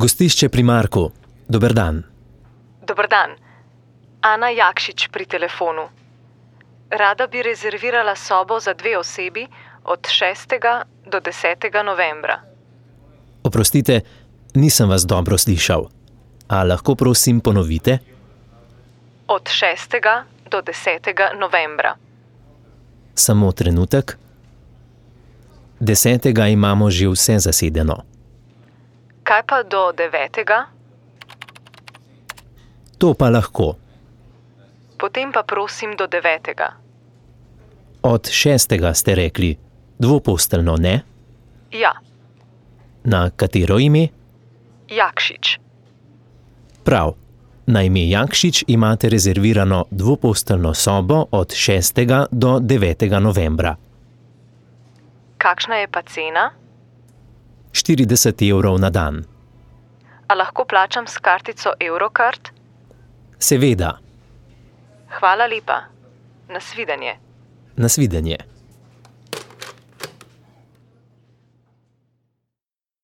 Gostišče pri Marku. Dober dan. Dober dan. Ana Jakšič pri telefonu. Rada bi rezervirala sobo za 2 osebi od 6. do 10. novembra. Oprostite, nisem vas dobro slišal. A lahko prosim ponovite? Od 6. do 10. novembra. Samo trenutek. 10. imamo že vse zasedeno. Kaj pa do 9.? To pa lahko. Potem pa prosim do 9. Od 6. ste rekli. Dvoposteljno, ne? Ja, Na katero ime? Jakšič. Prav. Na ime Jakšič imate rezervirano dvoposteljno sobo od 6. do 9. novembra. Kakšna je pa cena? 40 evrov na dan. A lahko plačam s kartico Eurocard? Seveda. Hvala lepa. Nasvidenje. Nasvidenje.